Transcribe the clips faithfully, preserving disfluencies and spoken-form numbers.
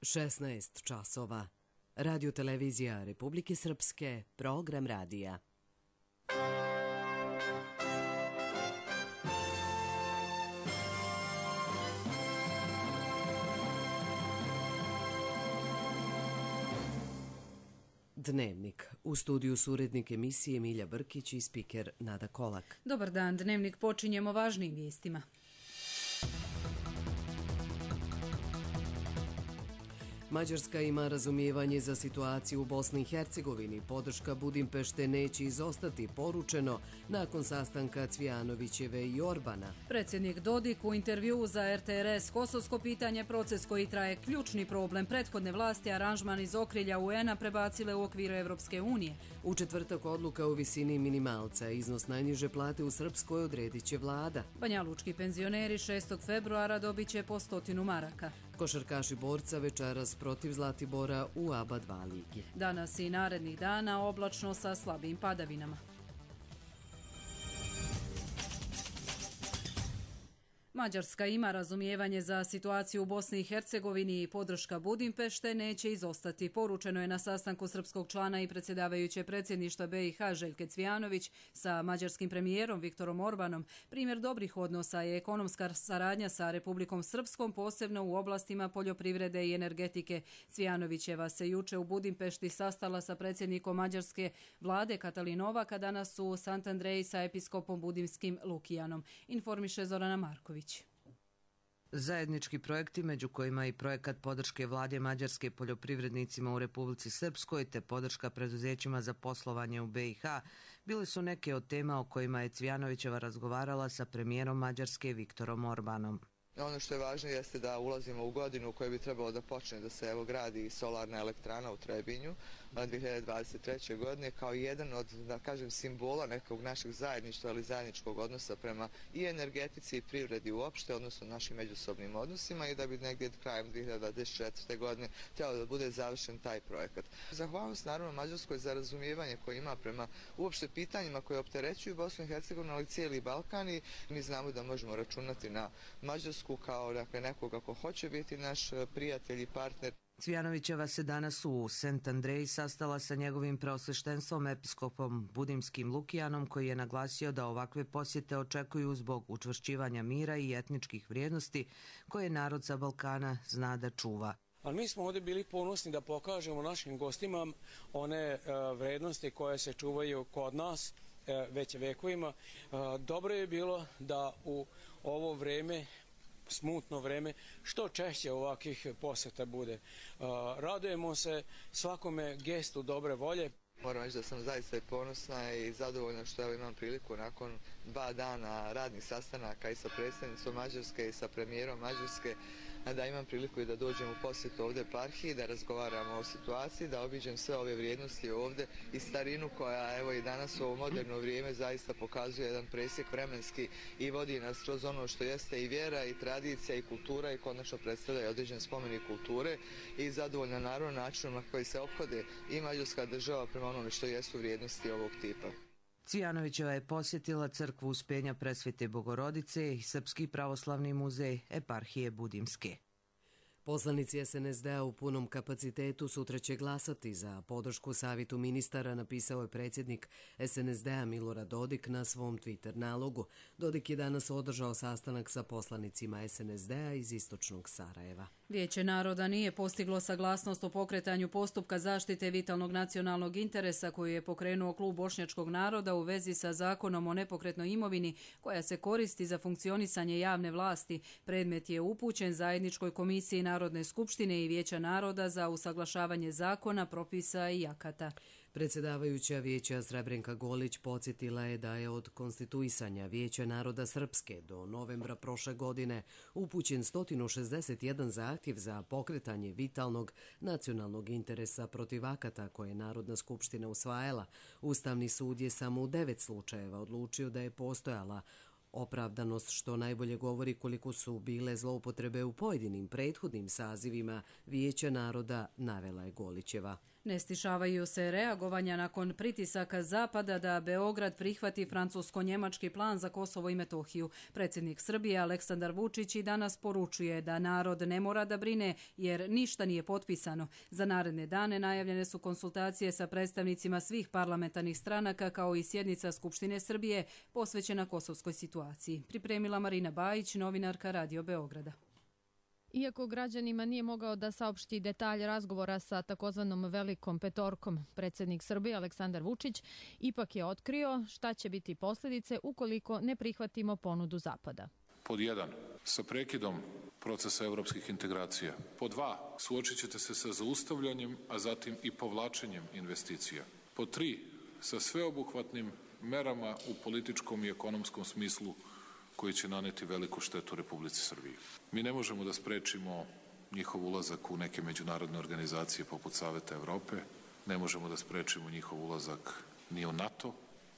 šesnaest časova. Radio televizija Republike Srpske, program radija. Dnevnik. U studiju su urednik emisije Milja Brkić i spiker Nada Kolak. Dobar dan, Dnevnik počinjemo važnim vijestima. Mađarska ima razumijevanje za situaciju u Bosni i Hercegovini. Podrška Budimpešte neće izostati, poručeno nakon sastanka Cvijanovićeve i Orbana. Predsjednik Dodik u intervjuu za R T R S kosovsko pitanje, proces koji traje ključni problem prethodne vlasti, aranžman iz okrilja U N-a prebacile u okviru Evropske unije. U četvrtak odluka u visini minimalca. Iznos najniže plate u Srpskoj odredit će vlada. Banjalučki penzioneri šestog februara dobit će po stotinu maraka. Košarkaši Borca večeras protiv Zlatibora u A B A dva ligi. Danas i narednih dana oblačno sa slabim padavinama. Mađarska ima razumijevanje za situaciju u Bosni i Hercegovini i podrška Budimpešte neće izostati. Poručeno je na sastanku srpskog člana i predsjedavajuće predsjedništva B i H Željke Cvijanović sa mađarskim premijerom Viktorom Orbanom. Primjer dobrih odnosa je ekonomska saradnja sa Republikom Srpskom, posebno u oblastima poljoprivrede i energetike. Cvijanovićeva se juče u Budimpešti sastala sa predsjednikom mađarske vlade Katalin Novak, danas u Sant Andreji sa episkopom budimskim Lukijanom. Informiše Zorana Marković. Zajednički projekti, među kojima i projekat podrške vlade Mađarske poljoprivrednicima u Republici Srpskoj te podrška preduzećima za poslovanje u B i H, bile su neke od tema o kojima je Cvijanovićeva razgovarala sa premijerom Mađarske Viktorom Orbanom. Ono što je važno jeste da ulazimo u godinu u kojoj bi trebalo da počne da se evo gradi solarna elektrana u Trebinju dvije hiljade dvadeset treće. godine kao jedan od, da kažem, simbola nekog našeg zajedništva ili zajedničkog odnosa prema i energetici i privredi uopšte, odnosno našim međusobnim odnosima, i da bi negdje krajem dvije hiljade dvadeset četvrte. godine trebalo da bude završen taj projekat. Zahvalnost naravno Mađarskoj za razumijevanje koje ima prema uopšte pitanjima koje opterećuju Bosnu i Hercegovinu, ali cijeli Balkan, i mi znamo da možemo računati na Mađarsku kao dakle, nekoga ko hoće biti naš prijatelj i partner. Cvijanovićeva se danas u Sant Andreji sastala sa njegovim preosveštenstvom episkopom budimskim Lukijanom, koji je naglasio da ovakve posjete očekuju zbog učvršćivanja mira i etničkih vrijednosti koje narod sa Balkana zna da čuva. Ali mi smo ovdje bili ponosni da pokažemo našim gostima one uh, vrednosti koje se čuvaju kod nas uh, već vekovima. Uh, dobro je bilo da u ovo vreme, smutno vreme, što češće ovakvih posjeta bude. Uh, radujemo se svakome gestu dobre volje. Moram reći da sam zaista ponosna i zadovoljna što evo imam priliku nakon dva dana radnih sastanaka i sa predsjednicom Mađarske i sa premijerom Mađarske da imam priliku i da dođem u posjetu ovdje eparhiji, da razgovaramo o situaciji, da obiđem sve ove vrijednosti ovdje i starinu koja evo i danas u ovo moderno vrijeme zaista pokazuje jedan presjek vremenski i vodi nas kroz ono što jeste i vjera i tradicija i kultura i konačno predstavlja i određen spomenik kulture, i zadovoljna naravno načinom na koji se ophode i mađarska država prema onome što jesu vrijednosti ovog tipa. Cvijanovićeva je posjetila crkvu Uspenja Presvete Bogorodice i Srpski pravoslavni muzej eparhije Budimske. Poslanici S N S D-a u punom kapacitetu sutra će glasati za podršku Savetu ministara, napisao je predsjednik S N S D-a Milorad Dodik na svom Twitter nalogu. Dodik je danas održao sastanak sa poslanicima S N S D-a iz istočnog Sarajeva. Vijeće naroda nije postiglo saglasnost o pokretanju postupka zaštite vitalnog nacionalnog interesa koju je pokrenuo klub bošnjačkog naroda u vezi sa zakonom o nepokretnoj imovini koja se koristi za funkcionisanje javne vlasti. Predmet je upućen zajedničkoj komisiji Narodne skupštine i Vijeća naroda za usaglašavanje zakona, propisa i akata. Predsjedavajuća Vijeća Srebrenka Golić podsjetila je da je od konstituisanja Vijeća naroda Srpske do novembra prošle godine upućen sto šezdeset jedan zahtjev za pokretanje vitalnog nacionalnog interesa protiv akata koje je Narodna skupština usvajala. Ustavni sud je samo u devet slučajeva odlučio da je postojala opravdanost, što najbolje govori koliko su bile zloupotrebe u pojedinim prethodnim sazivima Vijeća naroda, navela je Golićeva. Ne stišavaju se reagovanja nakon pritisaka Zapada da Beograd prihvati francusko-njemački plan za Kosovo i Metohiju. Predsjednik Srbije Aleksandar Vučić i danas poručuje da narod ne mora da brine jer ništa nije potpisano. Za naredne dane najavljene su konsultacije sa predstavnicima svih parlamentarnih stranaka kao i sjednica Skupštine Srbije posvećena kosovskoj situaciji. Pripremila Marina Bajić, novinarka Radio Beograda. Iako građanima nije mogao da saopšti detalje razgovora sa takozvanom velikom petorkom, predsjednik Srbije Aleksandar Vučić ipak je otkrio šta će biti posljedice ukoliko ne prihvatimo ponudu Zapada. Pod jedan, sa prekidom procesa evropskih integracija. Pod dva, suočit ćete se sa zaustavljanjem, a zatim i povlačenjem investicija. Pod tri, sa sveobuhvatnim merama u političkom i ekonomskom smislu koji će naneti veliku štetu Republici Srbiji. Mi ne možemo da sprečimo njihov ulazak u neke međunarodne organizacije poput Saveta Evrope, ne možemo da sprečimo njihov ulazak ni u NATO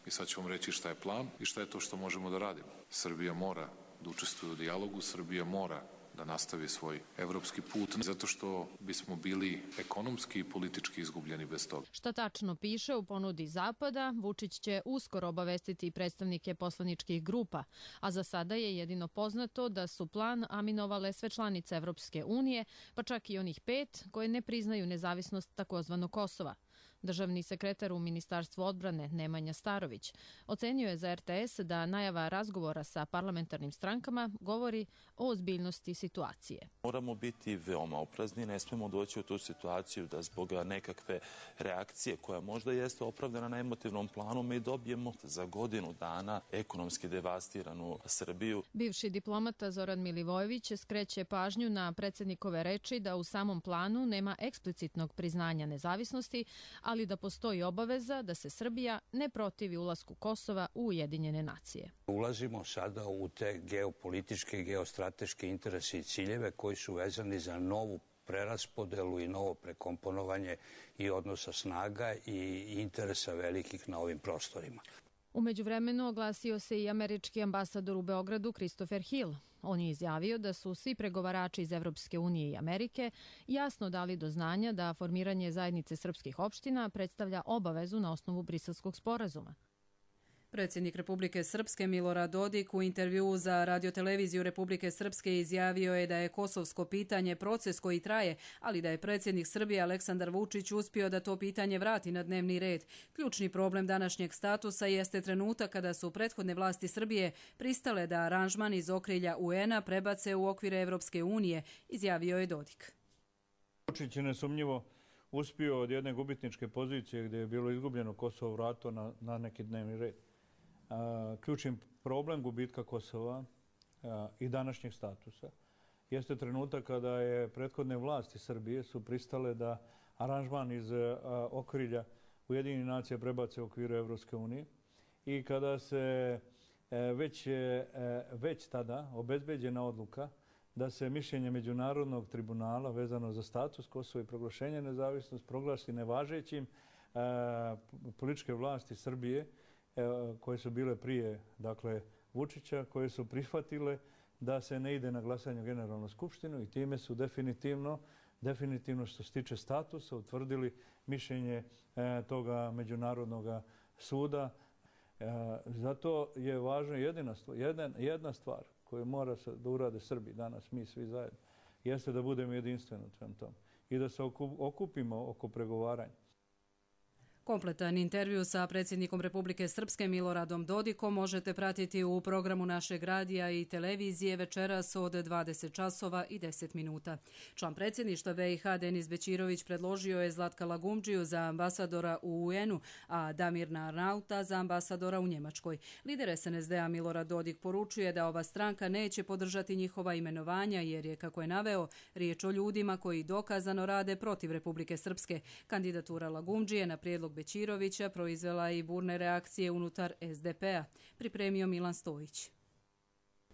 i sad ću vam reći šta je plan i šta je to što možemo da radimo. Srbija mora da učestvuje u dijalogu, Srbija mora da nastavi svoj evropski put, zato što bismo bili ekonomski i politički izgubljeni bez toga. Šta tačno piše u ponudi Zapada, Vučić će uskoro obavestiti predstavnike poslaničkih grupa, a za sada je jedino poznato da su plan aminovale sve članice Evropske unije, pa čak i onih pet koje ne priznaju nezavisnost takozvanog Kosova. Državni sekretar u Ministarstvu odbrane Nemanja Starović ocenio je za R T S da najava razgovora sa parlamentarnim strankama govori o ozbiljnosti situacije. Moramo biti veoma oprezni, ne smemo doći u tu situaciju da zbog nekakve reakcije koja možda jeste opravdana na emotivnom planu mi dobijemo za godinu dana ekonomski devastiranu Srbiju. Bivši diplomata Zoran Milivojević skreće pažnju na predsjednikove reči da u samom planu nema eksplicitnog priznanja nezavisnosti, ali da postoji obaveza da se Srbija ne protivi ulasku Kosova u Ujedinjene nacije. Ulazimo sada u te geopolitičke, geostrateške interese i ciljeve koji su vezani za novu preraspodelu i novo prekomponovanje i odnosa snaga i interesa velikih na ovim prostorima. U međuvremenu oglasio se i američki ambasador u Beogradu Christopher Hill. On je izjavio da su svi pregovarači iz Evropske unije i Amerike jasno dali do znanja da formiranje zajednice srpskih opština predstavlja obavezu na osnovu Briselskog sporazuma. Predsjednik Republike Srpske Milorad Dodik u intervjuu za radioteleviziju Republike Srpske izjavio je da je kosovsko pitanje proces koji traje, ali da je predsjednik Srbije Aleksandar Vučić uspio da to pitanje vrati na dnevni red. Ključni problem današnjeg statusa jeste trenutak kada su prethodne vlasti Srbije pristale da aranžman iz okrilja U N-a prebace u okvire Evropske unije, izjavio je Dodik. Vučić je nesumnjivo uspio od jedne gubitničke pozicije gdje je bilo izgubljeno Kosovo vrato na, na neki dnevni red. Ključni problem gubitka Kosova i današnjeg statusa jeste trenutak kada je prethodne vlasti Srbije su pristale da aranžman iz okrilja Ujedinjenih nacija prebace u okviru Evropske unije i kada se već, već tada obezbeđena odluka da se mišljenje Međunarodnog tribunala vezano za status Kosova i proglašenje nezavisnosti proglasi nevažećim, političke vlasti Srbije koje su bile prije, dakle, Vučića, koje su prihvatile da se ne ide na glasanje u Generalnu skupštinu i time su definitivno, definitivno što se tiče statusa, utvrdili mišljenje e, toga Međunarodnog suda. E, zato je važno jedina stvar, jedna, jedna stvar koju mora da urade Srbi danas, mi svi zajedno, jeste da budemo jedinstveni u svem tom i da se okupimo oko pregovaranja. Kompletan intervju sa predsjednikom Republike Srpske Miloradom Dodikom možete pratiti u programu našeg radija i televizije večeras od dvadeset časova i deset minuta. Član predsjedništva B i H Denis Bećirović predložio je Zlatka Lagumdžiju za ambasadora u U N-u, a Damirna Arnauta za ambasadora u Njemačkoj. Lider S N S D-a Milorad Dodik poručuje da ova stranka neće podržati njihova imenovanja jer je, kako je naveo, riječ o ljudima koji dokazano rade protiv Republike Srpske. Kandidatura Lagumdžije na prijedlog Bećirovića proizvela i burne reakcije unutar S D P-a, pripremio Milan Stojić.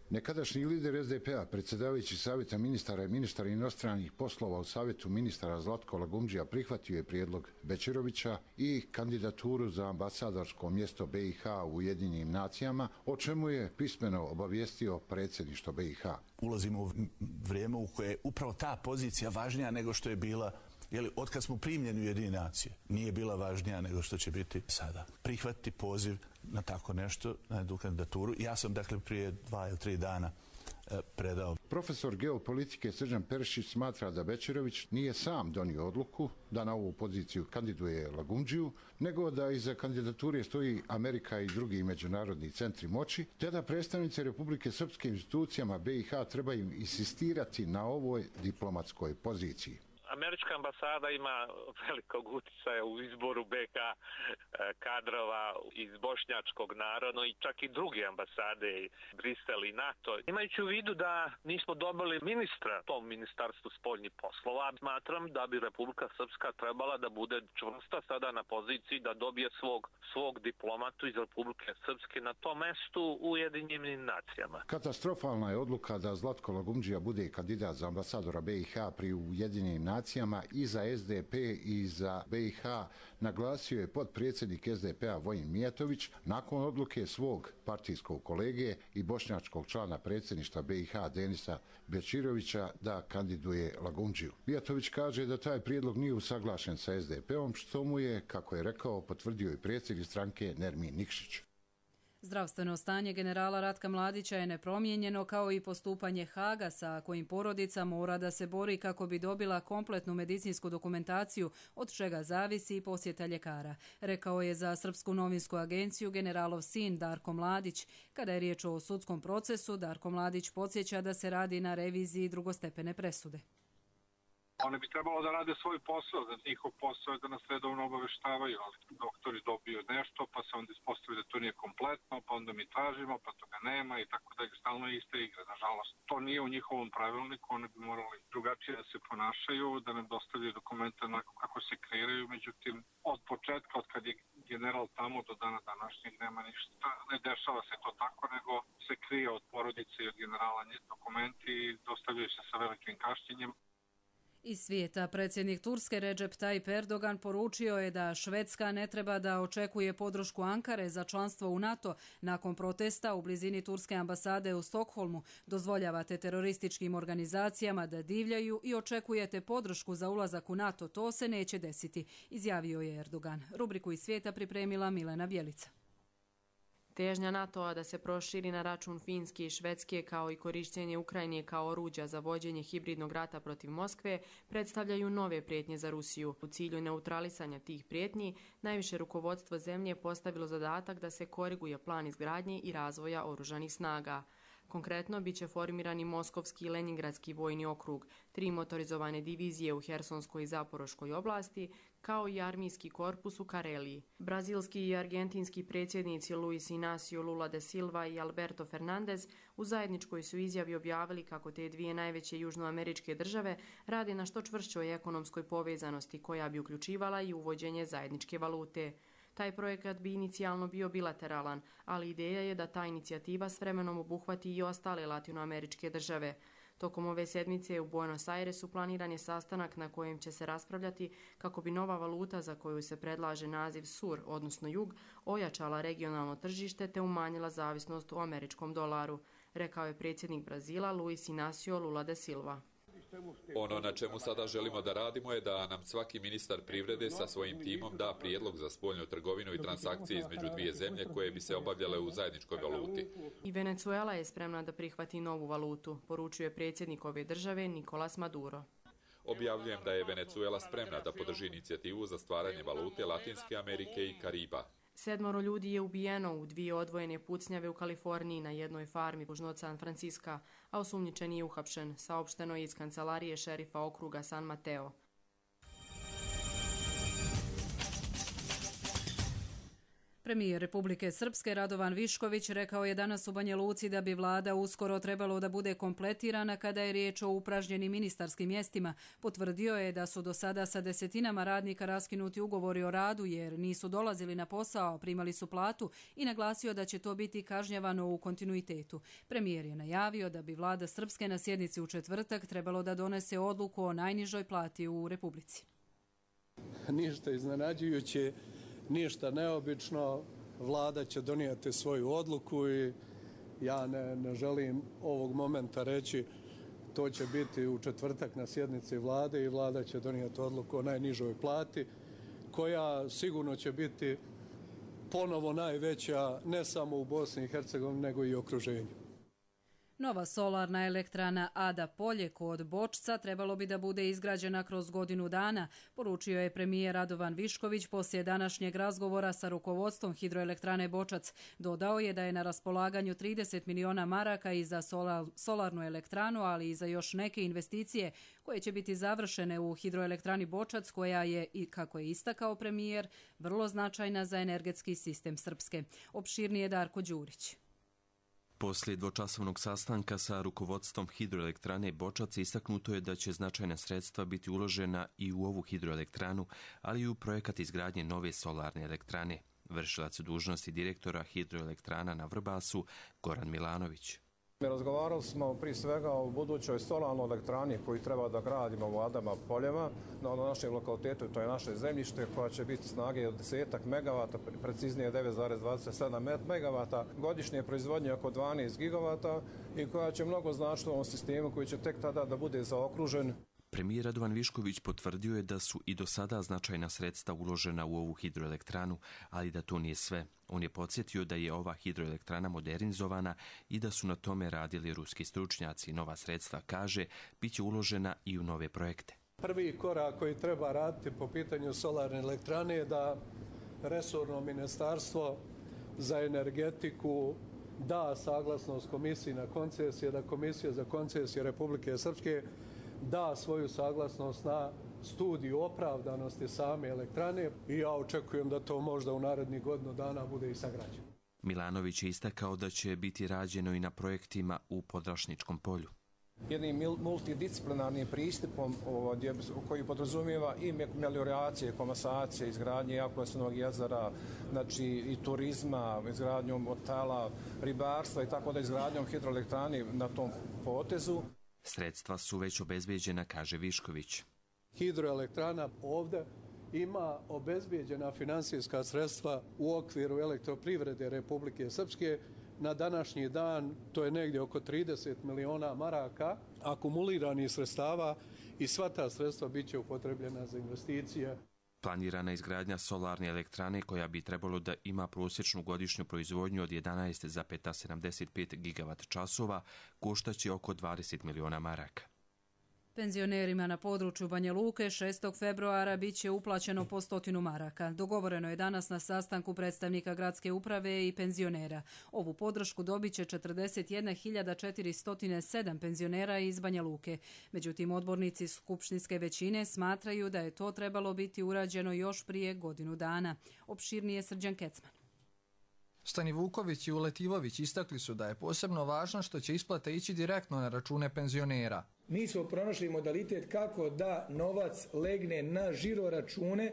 Nekadašnji lider S D P-a, predsjedavajući Savjeta ministara i ministar inostranih poslova u Savjetu ministara Zlatko Lagumdžija prihvatio je prijedlog Bećirovića i kandidaturu za ambasadorsko mjesto B i H u Ujedinjenim nacijama, o čemu je pismeno obavijestio predsjedništvo B i H. Ulazimo u vrijeme u koje je upravo ta pozicija važnija nego što je bila Jeli, otkad smo primljeni u Ujedinjene nacije, nije bila važnija nego što će biti sada. Prihvatiti poziv na tako nešto, na jednu kandidaturu. Ja sam, dakle, prije dva ili tri dana predao. Profesor geopolitike Srđan Perišić smatra da Bećirović nije sam donio odluku da na ovu poziciju kandiduje Lagumdžiju, nego da iza kandidature stoji Amerika i drugi međunarodni centri moći, te da predstavnici Republike Srpske institucijama B i H trebaju insistirati na ovoj diplomatskoj poziciji. Američka ambasada ima velikog uticaja u izboru B H kadrova iz bošnjačkog naroda i čak i druge ambasade, Brisel i NATO. Imajući u vidu da nismo dobili ministra tom ministarstvu spoljnih poslova, smatram da bi Republika Srpska trebala da bude čvrsta sada na poziciji da dobije svog, svog diplomatu iz Republike Srpske na tom mestu u Ujedinjenim nacijama. Katastrofalna je odluka da Zlatko Lagumdžija bude kandidat za ambasadora B i H pri Ujedinjenim nacijama i za S D P i za B i H, naglasio je potpredsjednik S D P-a Vojin Mijatović nakon odluke svog partijskog kolege i bošnjačkog člana predsjedništva B i H Denisa Bećirovića da kandiduje Lagumdžiju. Mijatović kaže da taj prijedlog nije usaglašen sa S D P-om, što mu je, kako je rekao, potvrdio i predsjednik stranke Nermin Nikšić. Zdravstveno stanje generala Ratka Mladića je nepromijenjeno, kao i postupanje Haga sa kojim porodica mora da se bori kako bi dobila kompletnu medicinsku dokumentaciju, od čega zavisi i posjeta ljekara, rekao je za Srpsku novinsku agenciju generalov sin Darko Mladić. Kada je riječ o sudskom procesu, Darko Mladić podsjeća da se radi na reviziji drugostepene presude. One bi trebalo da rade svoj posao, da njihov posao je da nas redovno obaveštavaju, ali doktori dobiju nešto, pa se onda ispostavi da to nije kompletno, pa onda mi tražimo, pa toga nema i tako da je stalno iste igre. Nažalost, to nije u njihovom pravilniku, oni bi morali drugačije da se ponašaju, da nam dostavljaju dokumente onako kako se kreiraju, međutim, od početka, od kad je general tamo do dana današnjeg nema ništa, ne dešava se to tako, nego se krije od porodice i od generala dokumenti i dostavljaju se sa velikim kašnjenjem. Iz svijeta predsjednik Turske Recep Tayyip Erdogan poručio je da Švedska ne treba da očekuje podršku Ankare za članstvo u NATO nakon protesta u blizini turske ambasade u Stokholmu. Dozvoljavate terorističkim organizacijama da divljaju i očekujete podršku za ulazak u NATO. To se neće desiti, izjavio je Erdogan. Rubriku iz svijeta pripremila Milena Bjelica. Težnja NATO-a da se proširi na račun Finske i Švedske kao i korištenje Ukrajine kao oruđa za vođenje hibridnog rata protiv Moskve predstavljaju nove prijetnje za Rusiju. U cilju neutralisanja tih prijetnji, najviše rukovodstvo zemlje je postavilo zadatak da se koriguje plan izgradnje i razvoja oružanih snaga. Konkretno, bit će formirani Moskovski i Leningradski vojni okrug, tri motorizovane divizije u Hersonskoj i Zaporoškoj oblasti, kao i armijski korpus u Kareliji. Brazilski i argentinski predsjednici Luis Inácio Lula da Silva i Alberto Fernandez u zajedničkoj su izjavi objavili kako te dvije najveće južnoameričke države rade na što čvršćoj ekonomskoj povezanosti koja bi uključivala i uvođenje zajedničke valute. Taj projekat bi inicijalno bio bilateralan, ali ideja je da ta inicijativa s vremenom obuhvati i ostale latinoameričke države. Tokom ove sedmice u Buenos Airesu planiran je sastanak na kojem će se raspravljati kako bi nova valuta za koju se predlaže naziv sur, odnosno jug, ojačala regionalno tržište te umanjila zavisnost u američkom dolaru, rekao je predsjednik Brazila Luis Inácio Lula da Silva. Ono na čemu sada želimo da radimo je da nam svaki ministar privrede sa svojim timom da prijedlog za spoljnu trgovinu i transakcije između dvije zemlje koje bi se obavljale u zajedničkoj valuti. I Venezuela je spremna da prihvati novu valutu, poručuje predsjednik ove države Nicolás Maduro. Objavljujem da je Venezuela spremna da podrži inicijativu za stvaranje valute Latinske Amerike i Kariba. Sedmoro ljudi je ubijeno u dvije odvojene pucnjave u Kaliforniji na jednoj farmi južno od San Francisca, a osumnjičeni je uhapšen, saopšteno je iz kancelarije šerifa okruga San Mateo. Premijer Republike Srpske Radovan Višković rekao je danas u Banja Luci da bi vlada uskoro trebalo da bude kompletirana kada je riječ o upražnjenim ministarskim mjestima. Potvrdio je da su do sada sa desetinama radnika raskinuti ugovori o radu jer nisu dolazili na posao, primali su platu i naglasio da će to biti kažnjavano u kontinuitetu. Premijer je najavio da bi vlada Srpske na sjednici u četvrtak trebalo da donese odluku o najnižoj plati u Republici. Ništa iznenađujuće, ništa neobično, vlada će donijeti svoju odluku i ja ne, ne želim ovog momenta reći To će biti u četvrtak na sjednici vlade i vlada će donijeti odluku o najnižoj plati, koja sigurno će biti ponovo najveća ne samo u Bosni i Hercegovini nego i okruženju. Nova solarna elektrana Ada Polje kod Bočca trebalo bi da bude izgrađena kroz godinu dana, poručio je premijer Radovan Višković poslije današnjeg razgovora sa rukovodstvom hidroelektrane Bočac. Dodao je da je na raspolaganju trideset miliona maraka i za solarnu elektranu, ali i za još neke investicije koje će biti završene u hidroelektrani Bočac, koja je, kako je istakao premijer, vrlo značajna za energetski sistem Srpske. Opširnije Darko Đurić. Poslije dvočasovnog sastanka sa rukovodstvom hidroelektrane Bočac istaknuto je da će značajna sredstva biti uložena i u ovu hidroelektranu, ali i u projekat izgradnje nove solarne elektrane. Vršilac dužnosti direktora hidroelektrana na Vrbasu, Goran Milanović. Razgovarali smo prije svega o budućoj solarnoj elektrani koju treba da gradimo u Adama Poljama na našem lokalitetu, to je naše zemljište, koja će biti snage od deset megavata, preciznije devet zarez dvadeset sedam megavata, godišnje proizvodnje oko dvanaest gigavata i koja će mnogo značiti u ovom sistemu koji će tek tada da bude zaokružen. Premijer Radovan Višković potvrdio je da su i do sada značajna sredstva uložena u ovu hidroelektranu, ali da to nije sve. On je podsjetio da je ova hidroelektrana modernizovana i da su na tome radili ruski stručnjaci. Nova sredstva, kaže, bit će uložena i u nove projekte. Prvi korak koji treba raditi po pitanju solarne elektrane je da resorno ministarstvo za energetiku da saglasnost komisiji na koncesije, da Komisija za koncesije Republike Srpske da svoju saglasnost na studiju opravdanosti same elektrane i ja očekujem da to možda u narednih godinu dana bude i sagrađeno. Milanović je istakao da će biti rađeno i na projektima u Podrašničkom polju. Jednim multidisciplinarnim pristupom koji podrazumijeva i melioracije, komasacije, izgradnje Jakovlevskog jezera, znači i turizma, izgradnjom hotela, ribarstva i tako da izgradnjom hidroelektrani na tom potezu. Sredstva su već obezbeđena, kaže Višković. Hidroelektrana ovdje ima obezbeđena finansijska sredstva u okviru elektroprivrede Republike Srpske. Na današnji dan to je negdje oko trideset miliona maraka akumuliranih sredstava i sva ta sredstva bit će upotrebljena za investicije. Planirana izgradnja solarne elektrane, koja bi trebalo da ima prosječnu godišnju proizvodnju od jedanaest zarez sedamdeset pet gigavat časova, koštaće oko dvadeset miliona maraka. Penzionerima na području Banja Luke šestog februara bit će uplaćeno po stotinu maraka. Dogovoreno je danas na sastanku predstavnika gradske uprave i penzionera. Ovu podršku dobit će četrdeset jedna hiljada četiristo sedam penzionera iz Banja Luke. Međutim, odbornici skupštinske većine smatraju da je to trebalo biti urađeno još prije godinu dana. Opširnije Srđan Kecman. Stani Vuković i Uletivović istakli su da je posebno važno što će isplata ići direktno na račune penzionera. Mi smo pronašli modalitet kako da novac legne na žiro račune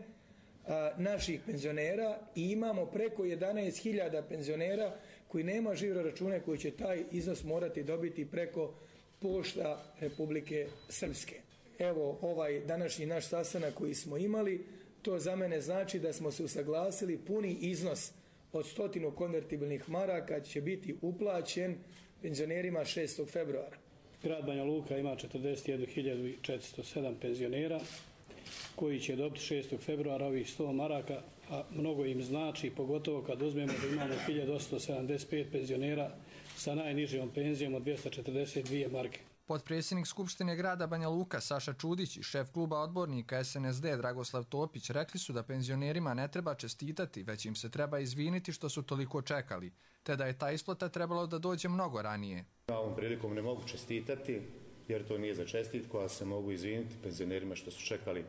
a, naših penzionera i imamo preko jedanaest hiljada penzionera koji nema žiro račune koji će taj iznos morati dobiti preko pošta Republike Srpske. Evo ovaj današnji naš sastanak koji smo imali, to za mene znači da smo se usaglasili, puni iznos od stotinu konvertibilnih maraka će biti uplaćen penzionerima šestog februara. Grad Banja Luka ima četrdeset jednu hiljadu četiristo sedam penzionera koji će dobiti šestog februara ovih sto maraka, a mnogo im znači, pogotovo kad uzmemo da imamo hiljadu osamsto sedamdeset pet penzionera sa najnižom penzijom od dvjesto četrdeset dvije marke. Potpredsjednik Skupštine grada Banja Luka Saša Čudić i šef kluba odbornika S N S D Dragoslav Topić rekli su da penzionerima ne treba čestitati, već im se treba izviniti što su toliko čekali, te da je ta isplata trebalo da dođe mnogo ranije. Ovom prilikom ne mogu čestitati, jer to nije za čestitku, a se mogu izviniti penzionerima što su čekali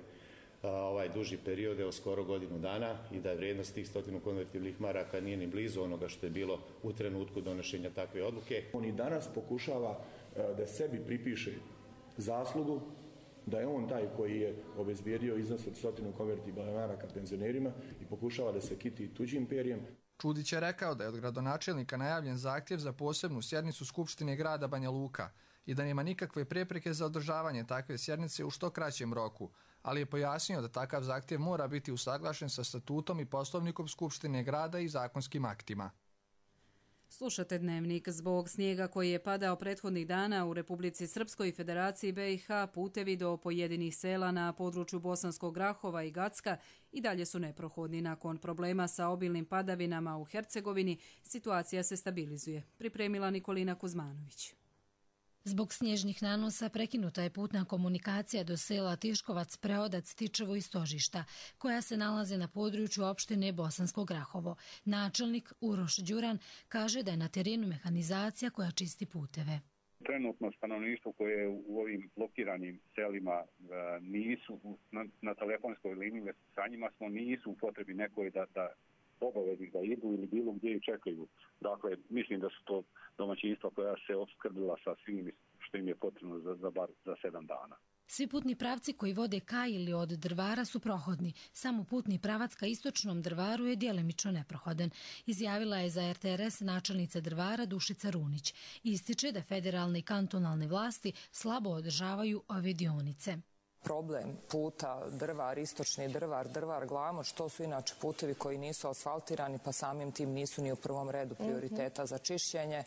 a, ovaj duži period, evo skoro godinu dana, i da je vrijednost tih stotinu konvertibilnih maraka nije ni blizu onoga što je bilo u trenutku donošenja takve odluke. On i danas pokušava da sebi pripiše zaslugu, da je on taj koji je obezbijedio iznos od stotinu konvertibilnih maraka penzionerima i pokušava da se kiti tuđim perjem. Čudić je rekao da je od gradonačelnika najavljen zahtjev za posebnu sjednicu Skupštine grada Banja Luka i da nema nikakve prepreke za održavanje takve sjednice u što kraćem roku, ali je pojasnio da takav zahtjev mora biti usaglašen sa statutom i poslovnikom Skupštine grada i zakonskim aktima. Slušate Dnevnik. Zbog snijega koji je padao prethodnih dana u Republici Srpskoj i Federaciji B i H, putevi do pojedinih sela na području Bosanskog Grahova i Gacka i dalje su neprohodni. Nakon problema sa obilnim padavinama u Hercegovini, situacija se stabilizuje. Pripremila Nikolina Kuzmanović. Zbog snježnih nanosa prekinuta je putna komunikacija do sela Tiškovac, Preodac, Tičevo i Stožišta, koja se nalaze na području opštine Bosansko Grahovo. Načelnik Uroš Đuran kaže da je na terenu mehanizacija koja čisti puteve. Trenutno stanovništvo koje u ovim blokiranim selima nisu na, na telefonskoj liniji, sa njima smo nisu u potrebi nekoj da, da obavezi da idu ili bilo gdje i čekaju. Dakle, mislim da su to domaćinstva koja se opskrbila sa svim što im je potrebno za, za bar za sedam dana. Svi putni pravci koji vode ka ili od Drvara su prohodni. Samo putni pravac ka istočnom Drvaru je djelimično neprohodan. Izjavila je za R T R S načelnica Drvara Dušica Runić. Ističe da federalne i kantonalne vlasti slabo održavaju ove dionice. Problem puta Drvar, istočni Drvar, Drvar, Glamoč, to su inače putevi koji nisu asfaltirani, pa samim tim nisu ni u prvom redu prioriteta za čišćenje.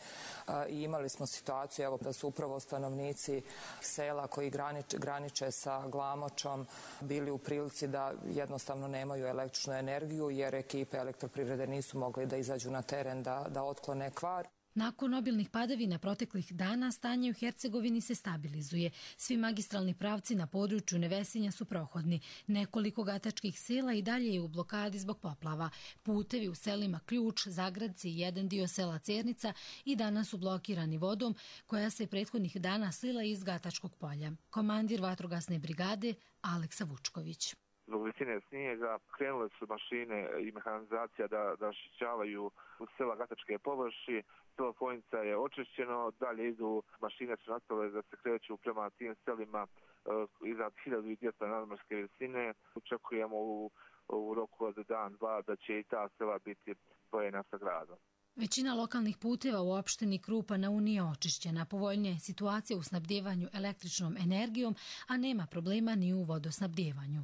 I imali smo situaciju evo, da su upravo stanovnici sela koji graniče, graniče sa Glamočom bili u prilici da jednostavno nemaju električnu energiju jer ekipe elektroprivrede nisu mogli da izađu na teren da, da otklone kvar. Nakon obilnih padavina proteklih dana, stanje u Hercegovini se stabilizuje. Svi magistralni pravci na području Nevesinja su prohodni. Nekoliko gatačkih sela i dalje je u blokadi zbog poplava. Putevi u selima Ključ, Zagradci i jedan dio sela Cernica i danas su blokirani vodom koja se prethodnih dana slila iz Gatačkog polja. Komandir vatrogasne brigade Aleksa Vučković. Zbog visine snijega krenule su mašine i mehanizacija da, da očišćavaju sela Gatačke površi. Selo Fojnica je očišćeno, dalje idu mašine su nastavile da se kreću prema tim selima uh, iznad hiljadu dvjesto nadmorske visine. Očekujemo u, u roku od dan, dva da će i ta sela biti spojena sa gradom. Većina lokalnih puteva u opštini Krupa na Uniji je očišćena. Povoljnija je situacija u snabdjevanju električnom energijom, a nema problema ni u vodosnabdjevanju.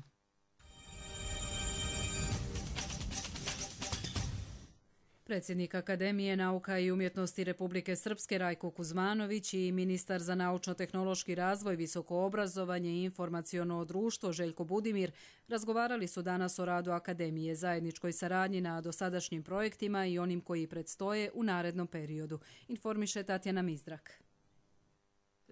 Predsjednik Akademije nauka i umjetnosti Republike Srpske Rajko Kuzmanović i ministar za naučno-tehnološki razvoj, visoko obrazovanje i informaciono društvo Željko Budimir razgovarali su danas o radu Akademije, zajedničkoj saradnji na dosadašnjim projektima i onim koji predstoje u narednom periodu, informiše Tatjana Mizdrak.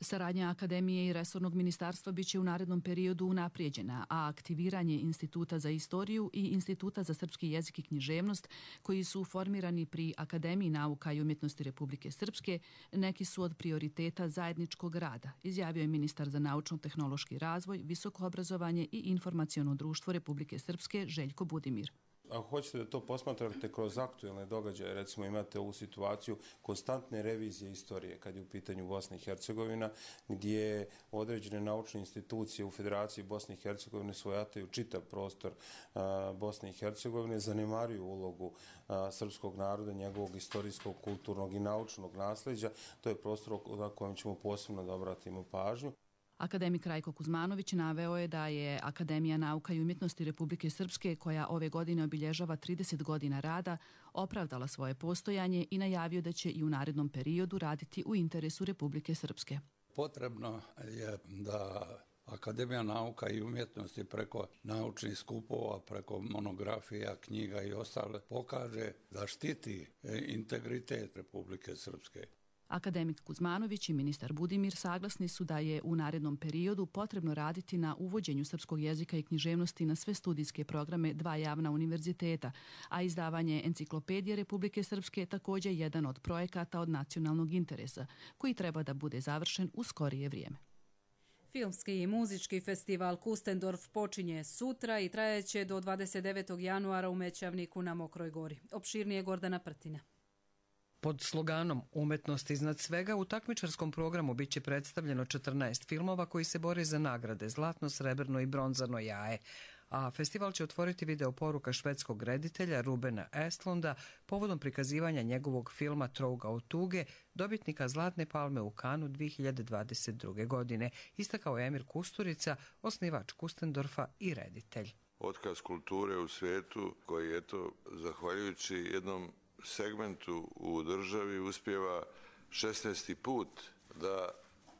Saradnja Akademije i resornog ministarstva biće u narednom periodu unaprijeđena, a aktiviranje Instituta za istoriju i Instituta za srpski jezik i književnost, koji su formirani pri Akademiji nauka i umjetnosti Republike Srpske, neki su od prioriteta zajedničkog rada, izjavio je ministar za naučno-tehnološki razvoj, visoko obrazovanje i informaciono društvo Republike Srpske Željko Budimir. Ako hoćete da to posmatrate kroz aktuelne događaje, recimo imate ovu situaciju konstantne revizije istorije kad je u pitanju Bosna i Hercegovina, gdje određene naučne institucije u Federaciji Bosne i Hercegovine svojataju čitav prostor a, Bosne i Hercegovine, zanemaruju ulogu a, srpskog naroda, njegovog istorijskog, kulturnog i naučnog nasljeđa. To je prostor na kojem ćemo posebno da obratimo pažnju. Akademik Rajko Kuzmanović naveo je da je Akademija nauka i umjetnosti Republike Srpske, koja ove godine obilježava trideset godina rada, opravdala svoje postojanje i najavio da će i u narednom periodu raditi u interesu Republike Srpske. Potrebno je da Akademija nauka i umjetnosti preko naučnih skupova, preko monografija, knjiga i ostale pokaže da štiti integritet Republike Srpske. Akademik Kuzmanović i ministar Budimir saglasni su da je u narednom periodu potrebno raditi na uvođenju srpskog jezika i književnosti na sve studijske programe dva javna univerziteta, a izdavanje enciklopedije Republike Srpske je također jedan od projekata od nacionalnog interesa, koji treba da bude završen u skorije vrijeme. Filmski i muzički festival Kustendorf počinje sutra i trajeće do dvadeset devetog januara u Mećavniku na Mokroj gori. Opširnije Gordana Prtina. Pod sloganom Umetnost iznad svega u takmičarskom programu biće predstavljeno četrnaest filmova koji se bore za nagrade zlatno, srebrno i bronzano jaje. A festival će otvoriti video poruka švedskog reditelja Rubena Estlunda povodom prikazivanja njegovog filma Trouga od tuge, dobitnika Zlatne palme u Kanu dvije hiljade dvadeset druge. godine, istakao je Emir Kusturica, osnivač Kustendorfa i reditelj. Otkaz kulture u svijetu koji je to, zahvaljujući jednom segmentu u državi uspijeva šesnaesti put da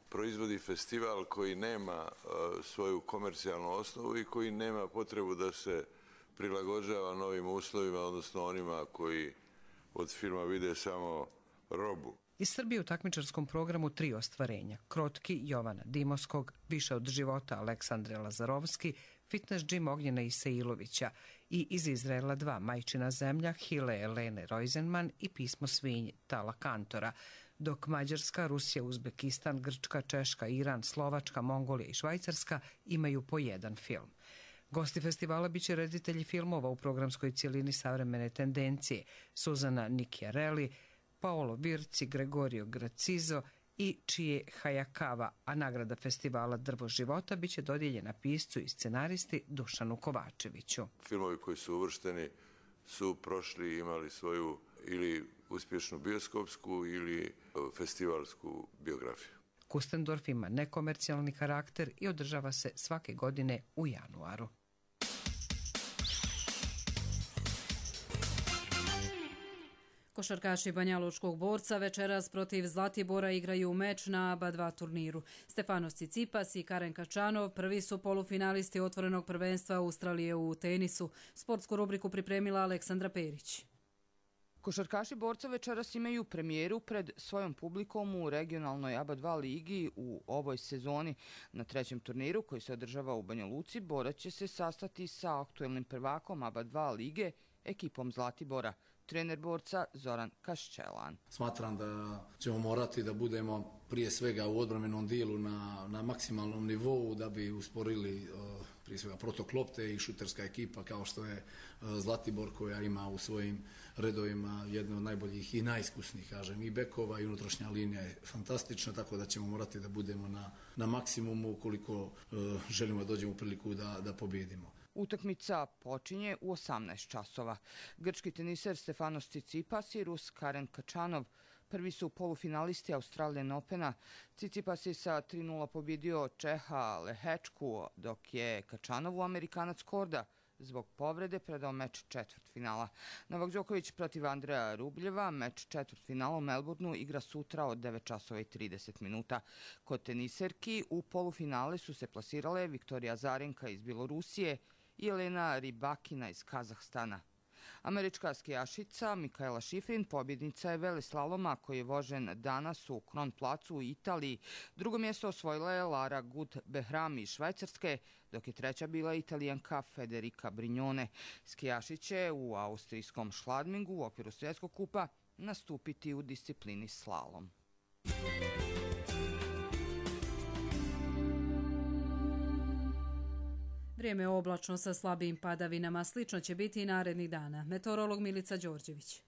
proizvodi festival koji nema svoju komercijalnu osnovu i koji nema potrebu da se prilagođava novim uslovima, odnosno onima koji od filma vide samo robu. Iz Srbije u takmičarskom programu tri ostvarenja. Krotki Jovana Dimovskog, Više od života Aleksandre Lazarovski, Fitness Gym Ognjena Isailovića i iz Izraela dva Majčina zemlja Hile Elene Rojzenman i Pismo svinji Tala Kantora, dok Mađarska, Rusija, Uzbekistan, Grčka, Češka, Iran, Slovačka, Mongolija i Švajcarska imaju po jedan film. Gosti festivala biće reditelji filmova u programskoj cijelini Savremene tendencije Suzana Nikjareli, Paolo Virci, Gregorio Gracizo i Čije Hayakawa, a nagrada festivala Drvo života biće dodijeljena piscu i scenaristi Dušanu Kovačeviću. Filmovi koji su uvršteni su prošli i imali svoju ili uspješnu bioskopsku ili festivalsku biografiju. Kustendorf ima nekomercijalni karakter i održava se svake godine u januaru. Košarkaši Banjalučkog Borca večeras protiv Zlatibora igraju meč na A B A dva turniru. Stefanos Tsitsipas i Karen Kačanov prvi su polufinalisti otvorenog prvenstva Australije u tenisu. Sportsku rubriku pripremila Aleksandra Perić. Košarkaši Borca večeras imaju premijeru pred svojom publikom u regionalnoj A B A dva ligi u ovoj sezoni. Na trećem turniru koji se održava u Banja Luci, Borac će se sastati sa aktuelnim prvakom A B A dva lige, ekipom Zlatibora. Trener Borca Zoran Kaščelan. Smatram da ćemo morati da budemo prije svega u odbrambenom dijelu na, na maksimalnom nivou da bi usporili uh, prije svega protok lopte i šuterska ekipa kao što je uh, Zlatibor koja ima u svojim redovima jedne od najboljih i najiskusnijih, kažem, i bekova i unutrašnja linija je fantastična, tako da ćemo morati da budemo na, na maksimumu ukoliko uh, želimo da dođemo u priliku da, da pobjedimo. Utakmica počinje u osamnaest časova. Grčki teniser Stefanos Tsitsipas i Rus Karen Kačanov prvi su polufinalisti Australian Opena. Tsitsipas je sa tri nula pobjedio Čeha Lehečku, dok je Kačanovu Amerikanac Korda zbog povrede predao meč četvrtfinala. Novak Đoković protiv Andreja Rubljeva meč četvrtfinala u Melbourneu igra sutra od devet časova i trideset minuta. Kod teniserki u polufinale su se plasirale Viktorija Azarenka iz Bjelorusije i Elena Rybakina iz Kazahstana. Američka skijašica Mikaela Šifrin pobjednica je veleslaloma koji je vožen danas u Kronplacu u Italiji. Drugo mjesto osvojila je Lara Gut-Behrami iz Švajcarske, dok je treća bila Italijanka Federica Brignone. Skijaši će u austrijskom Schladmingu u okviru svjetskog kupa nastupiti u disciplini slalom. Vrijeme je oblačno sa slabim padavinama, slično će biti i narednih dana. Meteorolog Milica Đorđević.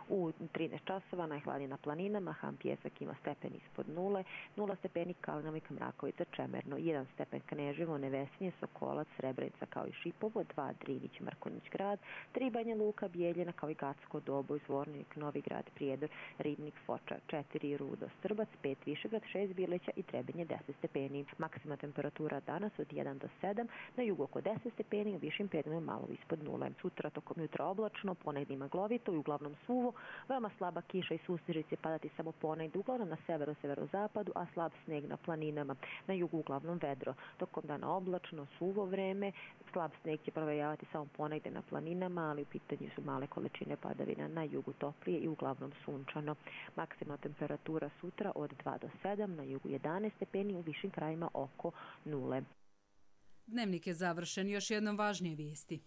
U trinaest časova najhladnije na planinama, Ham Pjesak ima stepen ispod nule, nula stepeni Kalnovika, Mrakovica, Čemerno, jedan stepen Kneževo, Nevesinje, Sokolac, Srebrenica kao i Šipovo, dva Drinić, Mrkonjić grad, tri Banja Luka, Bijeljina kao i Gacko, Doboj, Zvornik, Novi grad, Prijedor, Ribnik, Foča, četiri Rudo, Strbac, pet Višegrad, šest Bileća i Trebinje deset stepeni. Maksima temperatura danas od jedan do sedam, na jugu oko deset stepeni, u višim pedima malo ispod nule. Sutra tokom jutra oblačno, ponegdje maglovito i uglavnom suvo, veoma slaba kiša i susnež će padati samo ponegdje, uglavnom na severu, severozapadu, a slab sneg na planinama. Na jugu uglavnom vedro. Tokom dana oblačno, suvo vreme, slab sneg će provejavati samo ponegdje na planinama, ali u pitanju su male količine padavina. Na jugu toplije i uglavnom sunčano. Maksimalna temperatura sutra od dva do sedam, na jugu jedanaest stepeni, u višim krajima oko nule. Dnevnik je završen, još jednom važnije vijesti.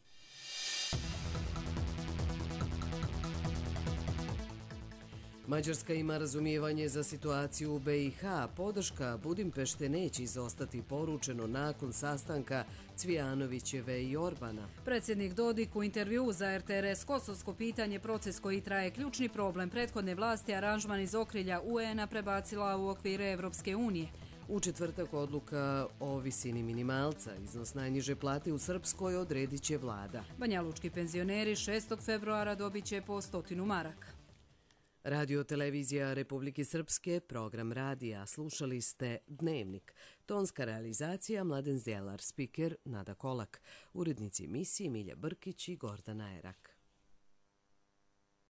Mađarska ima razumijevanje za situaciju u be i ha. Podrška Budimpešte neće izostati, poručeno nakon sastanka Cvijanovićeve i Orbana. Predsjednik Dodik u intervju za er te er es Kosovsko pitanje, proces koji traje ključni problem prethodne vlasti, aranžman iz okrilja u en a prebacila u okvire Evropske unije. U četvrtak odluka o visini minimalca. Iznos najniže plate u Srpskoj odredit će vlada. Banjalučki penzioneri šestog februara dobit će po stotinu maraka. Radio televizija Republike Srpske, program radija. Slušali ste Dnevnik. Tonska realizacija Mladen Zjelar, spiker Nada Kolak. Urednici emisije Milja Brkić i Gordana Erak.